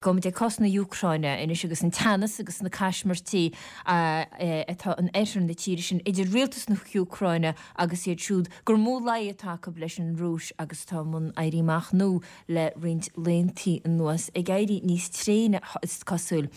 Gabhfaimid ag cás na hÚcráine anois agus an teannas agus na caismirtí atá in oirthear na tíre sin idir rialtas na hÚcráine agus iad siúd gur mó luí atá acu leis an Rúis agus atá i mbun éirí amach nua le roinnt laethanta anuas, ag éirí níos tréine is cosúil.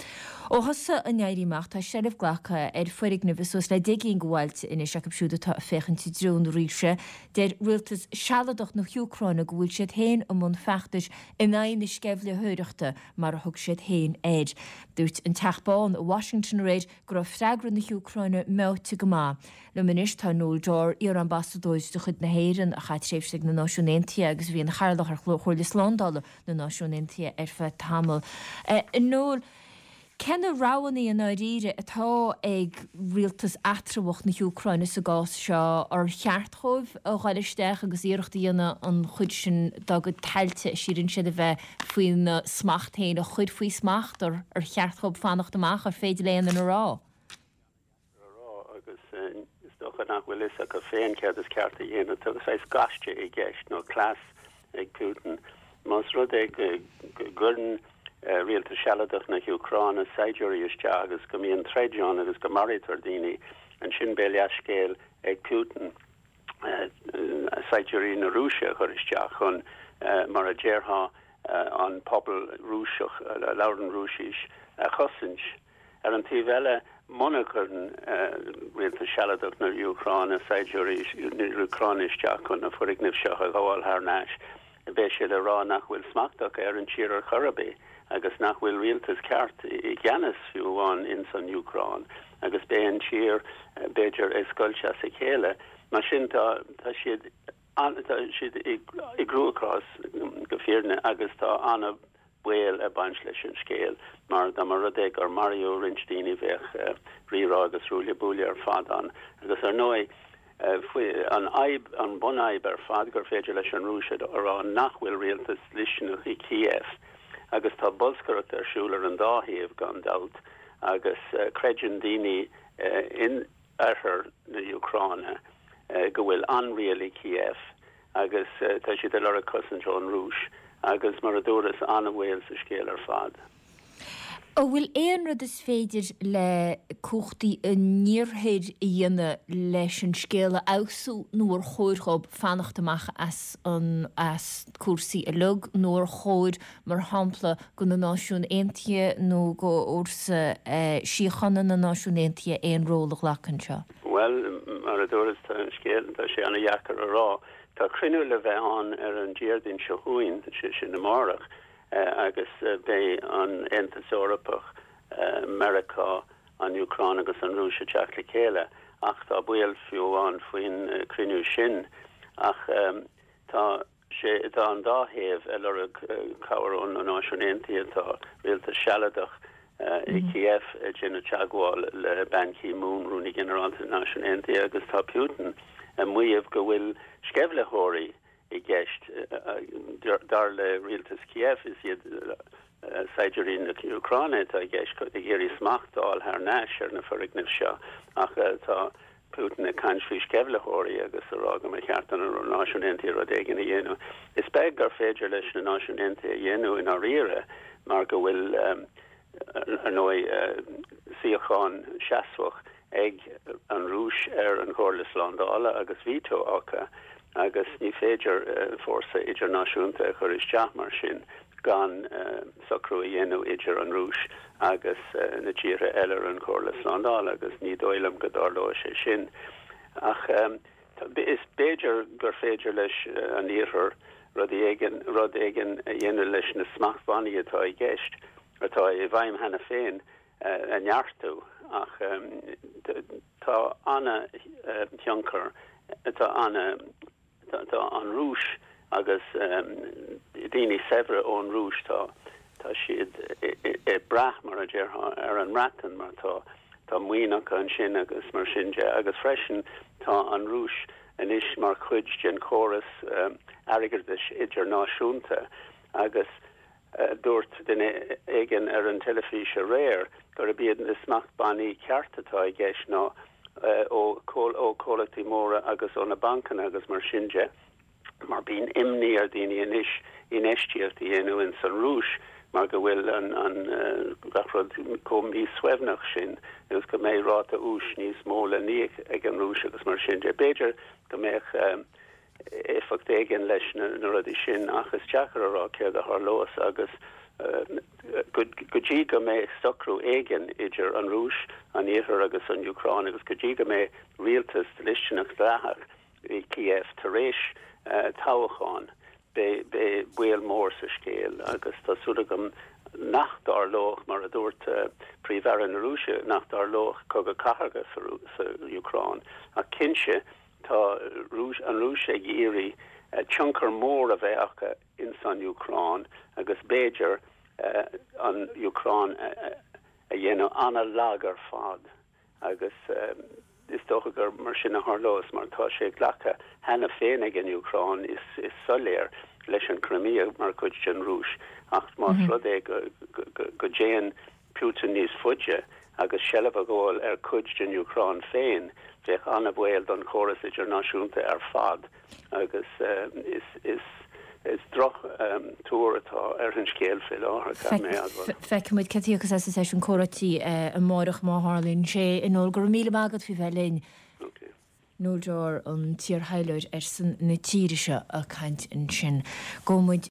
Ó thosaigh an éirí amach tá seilbh glactha ar foirgnimh i suas le 10 gcinn de bhailte anois acu siúd atá ag féachaint i dtreo na Rúise. Deir rialtas sealadach na hÚcráine go bhfuil siad féin i mbun feachtais in aghaidh na sceimhlitheoireachta, mar a thug siad féin air. Dúirt an Teach Bán i Washington aréir go raibh freagra na hÚcráine meáite go maith. Liom anois tá Noel Dorr, iar-ambasadóir de chuid na hÉireann a chaith tréimhse ag na Náisiúin Aontaithe agus a bhí ina chathaoirleach ar Chomhairle Slándála na Náisiún Aontaithe ar feadh tamaill. A Noel, Cé na roghanna i ndáiríre atá ag rialtas eatramhach na hÚcráine sa gcás seo? Ar cheart dhóibh a ghoil isteach agus iarracht a dhéanamh an chuid sin dá gcuid tailte a síleann siad a bheith faoina smacht féin a chur faoi smacht? Ar cheart dhóibh fanacht amach? Ar féidir le aon duine a rá? a rá agus is dócha nach bhfuil fhios acu féin céard is ceart a dhéanamh. Tá saghas gaiste i gceist nó cleas ag Putin. Más rud é go gcuireann rialtas sealadach na hÚcráine saighdiúirí isteach agus go mbíonn troid ann agus go maraítear daoine, ansin beidh leathscéal ag Putin saighdiúirí na Rúise a chur isteach chun, mar a déarfá, an pobal Rúiseach a labhrann Rúisis a chosaint. Ar an taobh eile, muna gcuireann rialtas sealadach na hÚcráine saighdiúirí na hÚcráine isteach chun na foirgnimh seo a ghabháil thar n-ais, beidh sé le rá nach bhfuil smacht acu ar an tír ar chor ar bith agus nach bhfuil rialtas ceart i gceannas fiú amháin ins an Úcráin agus beidh an tír, b'fhéidir, ag scoilt as a chéile. Mar sin tá siad tá siad i gcruachás go fírinne agus tá ana baol ag baint leis an scéal mar dá mba rud é gur maraíodh roinnt daoine bheadh rírá agus ruaille buaille ar fad ann agus ar ndóigh faoi an fhadhb, an bunfhadhb ar fad gur féidir leis an Rúis a rá nach bhfuil rialtas dlisteanach i Kiev agus tá bolscaireacht ar siúl ar an dá thaobh gan dabht agus creideann daoine in oirthear na hÚcráine go bhfuil an-riail i Kiev agus tá siad ag lorg cosaint ón Rúis agus mar a dúras, an-bhaol sa scéal ar fad. An bhfuil aon rud is féidir le cumhachtaí an iarthair a dhéanamh leis an scéal a fheabhsú nó ar chóir dhóibh fanacht amach as an as cúrsaí uilig nó ar chóir mar shampla go na Náisiúin Aontaithe nó go Fhórsa Síochána na Náisiún Aontaithe aon ról a ghlacadh anseo? Bhuel, mar a dúras, tá an scéal, tá sé an-dheacair a rá. Tá cruinniú le bheith ann ar an Déardaoin seo chugainn, sé sin amárach, agus beidh an Aontas Eorpach, Meiriceá, an Úcráin agus an Rúis ag teacht le chéile, ach tá baol fiú amháin faoin cruinniú sin. Ach tá. sé, tá an dá thaobh ag lorg cabhair ó na Náisiúin Aontaithe. Tá rialtas sealadach i Kiev ag déanamh teagmháil le Ban Ki-moon, Rúnaí Ginearálta na Náisiún Aontaithe, agus tá Putin ag maíomh go bhfuil sceimhlitheoirí i gceist. Dar le rialtas Kiev, is iad saighdiúirí na hÚcráine atá i gceist ag iarraidh smacht a fháil thar n-ais ar na foirgnimh seo ach tá Putin ag caint faoi sceimhlitheoirí agus a rá go mba cheart do na Náisiúin Aontaithe rud éigin a dhéanamh. Is beag gur féidir leis na Náisiúin Aontaithe a dhéanamh i ndáiríre mar go bhfuil, ar ndóigh, suíochán seasmhach ag an Rúis ar an Chomhairle Slándála agus veto acu agus ní féidir fórsa idirnáisiúnta a chur isteach mar sin gan socrú a dhéanamh idir an Rúis agus na tíortha eile ar an Chomhairle Slándála agus ní dóigh liom go dtarlóidh sé sin. Ach is b'fhéidir gur féidir leis an Iarthar rud éigin rud éigin a dhéanamh leis na smachtbhannaí atá i gceist, atá i bhfeidhm cheana féin, a neartú ach tá ana-thionchar, tá ana. Tá an Rúis agus daoine saibhre ón Rúis, tá tá siad ag brath, mar a déarfá, ar an mBreatain mar tá tá maoin acu ansin agus mar sin de. Agus freisin tá an Rúis anois mar chuid den chóras airgeadais idirnáisiúnta agus Dúirt duine éigin ar an teilifís aréir gurb iad na smachtbhannaí ceart atá i gceist ná ó chomhlachtaí móra agus ó na bancanna agus mar sin de, mar bíonn imní ar dhaoine anois infheistíocht a dhéanamh ins an Rúis. mar go bhfuil an gach rud chomh míshuaimhneach sin agus go mbeidh ráta úis níos mó le n-íoc ag an Rúis agus mar sin de. B'fhéidir go mbeadh éifeacht éigin leis na rudaí sin ach is deacair a rá céard a tharlós agus go dtí go mbeidh socrú éigin idir an Rúis, an Iarthar agus an Úcráin agus go dtí go mbeidh rialtas dlisteanach dleathach i Kiev tar éis toghcháin, beidh baol mór sa scéal agus tá súil agam nach dtarlódh, mar a dúirt Príomh-Aire na Rúise, nach dtarlódh cogadh cathartha sa Úcráin. Ach cinnte, tá an Rúis ag iarraidh tionchar mór a bheith acu ins an Úcráin agus b'fhéidir an Úcráin a dhéanamh an-lag ar fad. Agus is dócha gur mar sin a tharlós, mar tá sé glactha cheana féin ag an Úcráin, is soiléir, leis an Crimea mar chuid den Rúis. Ach más rud é go dtéann Putin níos faide agus seilbh a ghabháil ar chuid den Úcráin féin, bheadh an-bhaol don chóras idirnáisiúnta ar fad. Agus is is droch tuar atá ar an scéal fé láthair, caithfidh mé a admháil. Feicfidh muid cad a thiocfas as an seisiún comhráití amáireach má tharlaíonn sé. A Noel, go raibh míle maith agat faoi bheith linn. Noel Dorr, an t-iarthaidhleoir ar son na tíre seo ag caint ansin. Gabhfaidh muid.